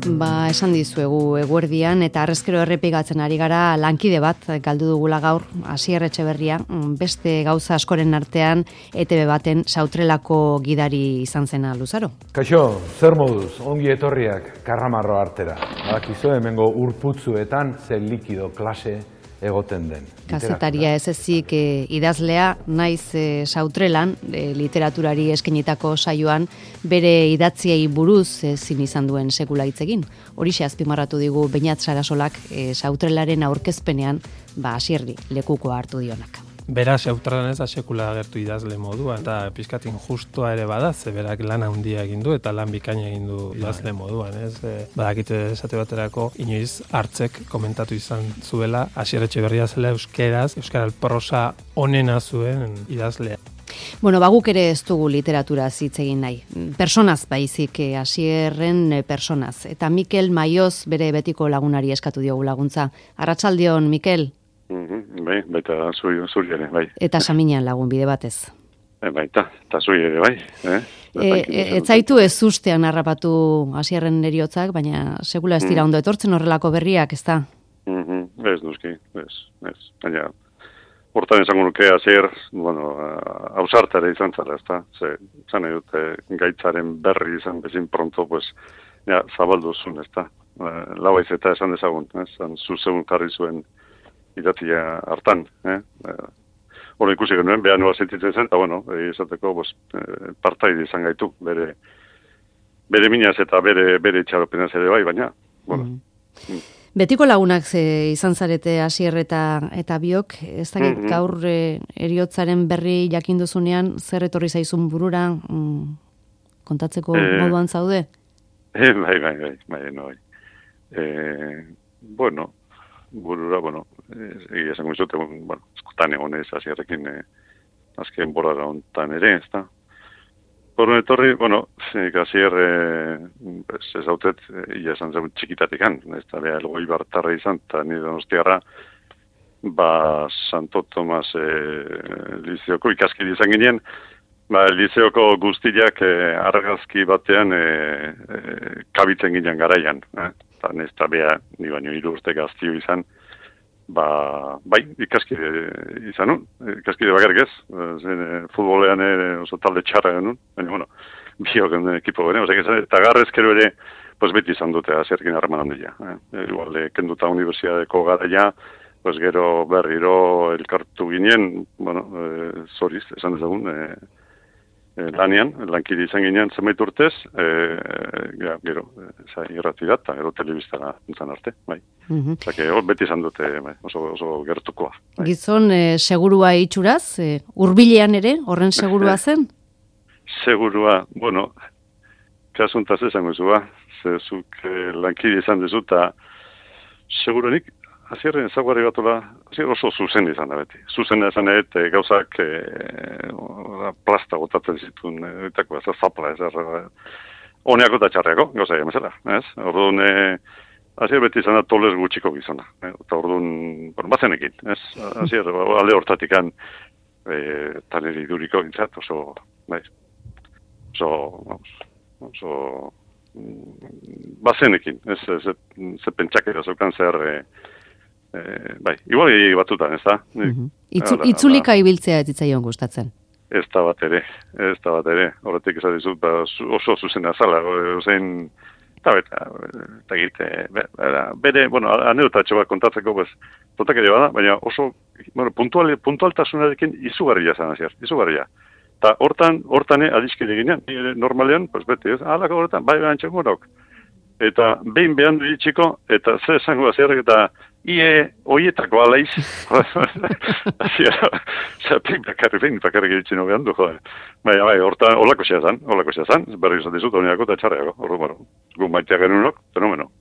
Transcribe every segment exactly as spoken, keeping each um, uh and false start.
Ba, esan dizuegu eguerdian eta arrezkero errepigatzen ari gara lankide bat galdu dugula gaur, Asier Etxeberria, beste gauza askoren artean E T B baten Sautrelako gidari izan zena Luzaro. Kaixo, zer moduz, ongi etorriak Karramarro artera. Badakizu hemengo urputzuetan ze likido klase egoten den. Kazetaria ez ezik e, idazlea, naiz e, Sautrelan, e, literaturari eskenitako saioan, bere idatziei buruz ezin izan duen sekula hitz egin. Horixe azpimarratu digu Beñat Sarasolak e, Sautrelaren aurkezpenean, ba Asierri lekukoa hartu dionak. Beraz, Sautrelan ez da sekula agertu idazle moduan, eta pizkatin justua ere bada, ze berak lan handia egin du eta lan bikaina egin du idazle moduan, ez? E, badakite esate baterako, inoiz hartzek komentatu izan zuela, Asier Etxeberria zela euskeraz, euskara prosa onena zuen idazlea. Bueno, baguk ere ez dugu literatura hitz egin nahi. Personaz baizik, Asierren personaz. Eta Mikel Maioz bere betiko lagunari eskatu diogu laguntza. Arratsaldeon, Mikel? Mm-hmm, bai, baita zuri, zuri ere, bai. Eta Saminan lagun bide batez. E, baita, eta zuri ere, bai. Eh? E, e, ez zaitu ez ustean harrapatu Asierren eriotzak, baina segula ez dira mm. ondo etortzen horrelako berriak, ez da? Mm-hmm, ez, nuski, ez, ez. Baina, hortan esango nuke Asier, bueno, hausartare izan zara, ez da? Ze, zan edute, gaitzaren berri izan bezin pronto, pues, ja, zabaldu zuen, ez da? Lauaiz eta esan dezagun, ez? Zuzegun jarri zuen idatzia hartan, eh? Hora ikusi genuen, behan nola sentitzen zen, eta bueno, izateko, pues, partaide izan gaitu, bere, bere minaz eta bere, bere itxaropenaz ere bai, baina, bueno. Mm. Mm. Betiko lagunak ze izan zarete Asier eta, eta biok, ez dakit mm-hmm. gaur e, eriotzaren berri jakinduzunean, zer etorri zaizun burura, mm, kontatzeko eh, moduan zaude? Eh, bai, bai, bai, bai, no, bai. Eh, bueno, burura, bueno, egia esango izute, bueno, eskutan egon ez Asierrekin eh, azken borara ontan ere, ez da. Horren etorri, bueno, Asier, eh, ez hautet, ia esan zen txikitatikan, ez da, beha elgoi bartarra izan, eta nire donostiarra, ba, Santo Tomas eh, lizeoko ikaskide izan ginen, ba, lizeoko guztiak eh, argazki batean eh, eh, kabitzen ginen garaian, eh? Eta ez da beha, ni baino hiru urte gaztio izan, ba, bai, ikaskide izan nun, ikaskide bakarrik ez, zen, futbolean oso talde txarra genuen, baina, bueno, biok genuen ekipo garen, ozak izan, eta garrezkero ere, pues beti izan dute Asierrekin harreman handia. Eh? Igual, kenduta unibertsiadeko garaia, pues gero berriro elkartu ginen, bueno, eh, zoriz, esan dezagun, eh, lanean, lankide izan ginean zenbait urtez, e, ja, gero, e, irrati da, eta gero telebistara nintzen arte, bai. Mm-hmm. Zake, hor beti izan dute, bai, oso, oso gertukoa. Bai. Gizon, e, segurua itxuraz, e, hurbilean ere, horren segurua zen? Segurua, bueno, kasuntaz esango zua, zezuk e, lankide izan dezu, eta seguruenik, Asierren ezaguarri batola, Asier oso zuzen izan da beti. Zuzen izan da, e, gauzak e, plasta gotatzen zituen, etako ez, zapla ez, honeako eta txarreako, gauza egin bezala, ez? Orduan, e, Asier beti izan da toles gutxiko gizona, e, eta orduan, bueno, bazenekin, ez? Asier, alde hortatikan, e, taneri duriko gintzat, oso, bai, oso, vamos, oso, bazenekin, ez, ez, ze pentsakera zeukan zer, e, Eh, bai, igual batutan, ez da? Mm-hmm. Itzu, itzulika ibiltzea ez ditzaion gustatzen? Ez da bat ere, ez da bat ere. Horretik esan dizut, ba, oso zuzena zala, ozein, eta beta, eta egite, bere, bueno, anedotatxo bat kontatzeko, pues, totak ere bada, baina oso, bueno, puntual, puntualtasunarekin izugarria zan, Asier, izugarria. Eta hortan, hortan adiskide ginean, normalean, pues, beti, ez, alako horretan, bai behan txengurok. Eta behin behan du itxiko, eta ze esango Asierrek, eta ie oietako alaiz. Zatik bakarri behin, bakarrik egiten no behan du, joder. Bai, bai, hortan, holako xea zan, holako xea zan, berri izan dizut, honiako eta txarreako, horro, bueno, gu maitea genunok, fenomeno.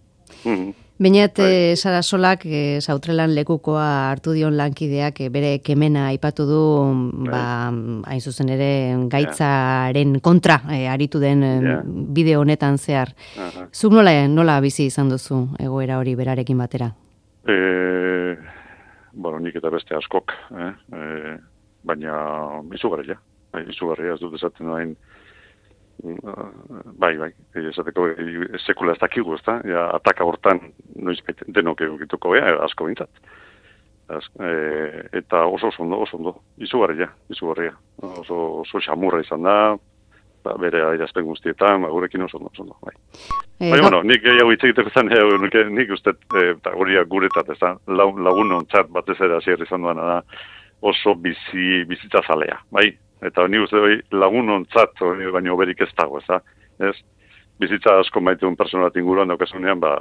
Mm-hmm. Beñat e, Sarasolak e, Sautrelan lekukoa hartu dion lankideak e, bere kemena aipatu du, ba, hain zuzen ere gaitzaren kontra e, aritu den yeah. bideo honetan zehar. Uh-huh. Zuk nola, nola bizi izan duzu egoera hori berarekin batera? E, bueno, nik eta beste askok, eh? E, baina izugarria, izugarria ez dut esaten dain bai, bai, esateko sekula ez dakigu, ezta? Ja, ataka hortan noiz denok egituko bea, asko bintzat. E, eta oso oso ondo, oso ondo, izugarria, izugarria. Oso, oso xamurra izan da, ba, bere adierazpen guztietan, ba, gurekin oso ondo, oso ondo, bai. E, bai, bueno, nik gehiago hitz egiteko zen, nik, nik uste, eta hori guretat, ez da, lagun ontzat batez ere hasier izan duana da, oso bizi, bizitza zalea, bai? Eta ni uste bai lagun ontzat, baina oberik ez dago, ez da? Ez? Bizitza asko maite un persona bat inguruan daukasunean, ba,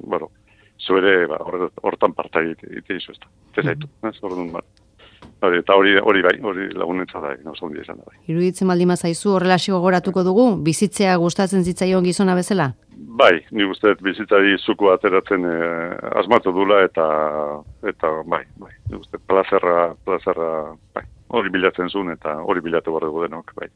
bueno, zuere, ba, hortan parta egite izu ez da. Ez zaitu, ez? Orduan, ba. Hori, eta hori, hori bai, hori lagunentza da, oso ondia izan da bai. Iruditzen baldin bazaizu, horrela gogoratuko dugu, bizitzea gustatzen zitzaion gizona bezala? Bai, ni uste bizitzari zuko ateratzen eh, asmatu dula eta eta bai, bai. Ni uste plazerra, plazerra, bai. Hori bilatzen zuen eta hori bilatu behar dugu denok, bai.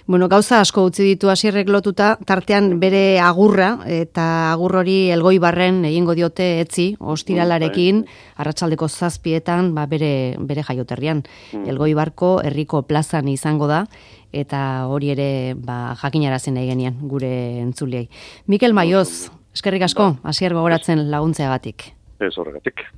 Bueno, gauza asko utzi ditu Asierrek lotuta, tartean bere agurra, eta agur hori Elgoibarren egingo diote etzi, ostiralarekin, arratsaldeko zazpietan, ba, bere, bere jaioterrian. Mm. Elgoibarko herriko plazan izango da, eta hori ere ba, jakinarazen nahi genian gure entzuliei. Mikel Maioz, eskerrik asko, Asier gogoratzen laguntzeagatik. Ez horregatik.